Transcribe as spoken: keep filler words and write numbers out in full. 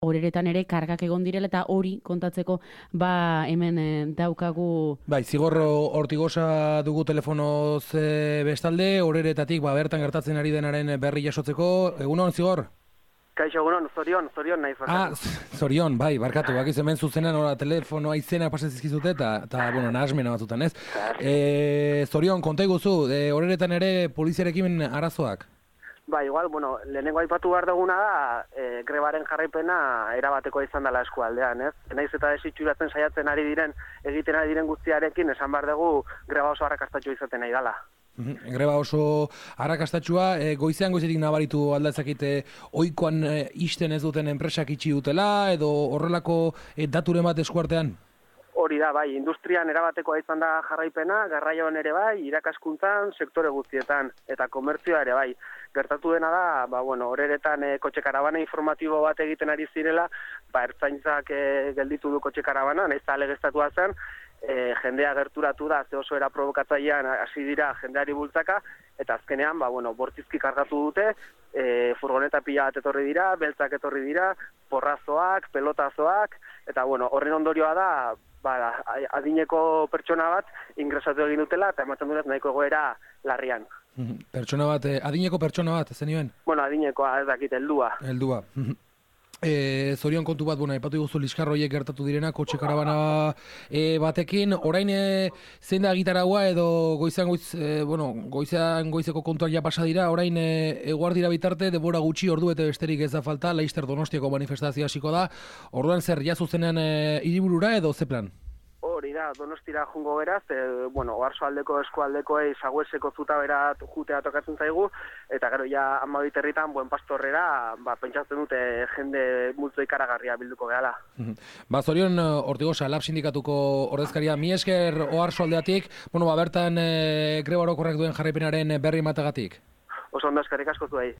horeretan ere kargak egon direla eta hori kontatzeko ba hemen e, daukagu. Bai, Zigor Ortigosa dugu telefonoz e, bestalde, horeretatik ba bertan gertatzen ari denaren berri jasotzeko. Egunon, Zigor? Kaixo, egunon, zorion, zorion naiz barkatu. Ah, zorion, bai, barkatu, bakiz hemen zuzenan ora telefonoa izena pasezizkizute eta, eta bueno, nahasmena batzutan, ez? E, zorion, konta iguzu, e, horeretan ere poliziarekin arazoak? Ba, igual, bueno, lehenengo aipatu behar duguna da, e, grebaren jarraipena erabatekoa izan dela eskualdean, ez? Naiz eta desitxuratzen saiatzen ari diren, egiten ari diren guztiarekin, esan behar dugu greba oso arrakastatxo izaten nahi dela. Greba oso arrakastatxua, e, goizean goizetik nabaritu aldatzakite oikoan e, isten ez duten enpresak itxi dutela, edo horrelako e, daturen bat eskuartean? Hori da, bai, industrian erabatekoa izan da jarraipena, garraioan ere bai, irakaskuntzan, sektore guztietan, eta komertzioa ere bai. Gertatu dena da, ba, bueno, horeretan e, kotxe karabana informatibo bat egiten ari zirela, ba, ertzaintzak e, gelditu du kotxe karabana, nahiz eta alegeztatua zen, e, jendea gerturatu da, ze oso era provokatzailean hasi dira jendeari bultzaka, eta azkenean, ba, bueno, bortizki kargatu dute, e, furgoneta pila bat etorri dira, beltzak etorri dira, porrazoak, pelotazoak, eta bueno, horren ondorioa da, ba, adineko pertsona bat ingresatu egin dutela, eta ematen dut nahiko egoera larrian. Pertsona bat, adineko pertsona bat, zenioen? Bueno, adinekoa, ez dakit, heldua. Heldua. E, zorion kontu bat, bueno, aipatu iguzu liskarroiek gertatu direna, kotxe karabana e, batekin, orain e, zein da gitaragua edo goizan goiz, e, bueno, goizan goizeko kontuak ja pasa dira, orain e, eguardira bitarte, denbora gutxi ordu eta besterik ez da falta, Laister Donostiako manifestazioa hasiko da, orduan zer, ja zuzenean e, hiriburura edo ze plan? Hori da, Donostira jungo beraz, e, bueno, oarsoaldeko eskualdekoei sagueseko zutabera jutea tokatzen zaigu, eta gero ja amabiterritan buen pastorrera, ba, pentsatzen dute jende multzo ikaragarria bilduko gehala. Ba, zorion Ortigosa, Lab sindikatuko ordezkaria, mi esker oarsoaldeatik, bueno, ba, bertan e, greba orokorrak duen jarraipenaren berri matagatik. Oso ondo eskerrik asko zuei.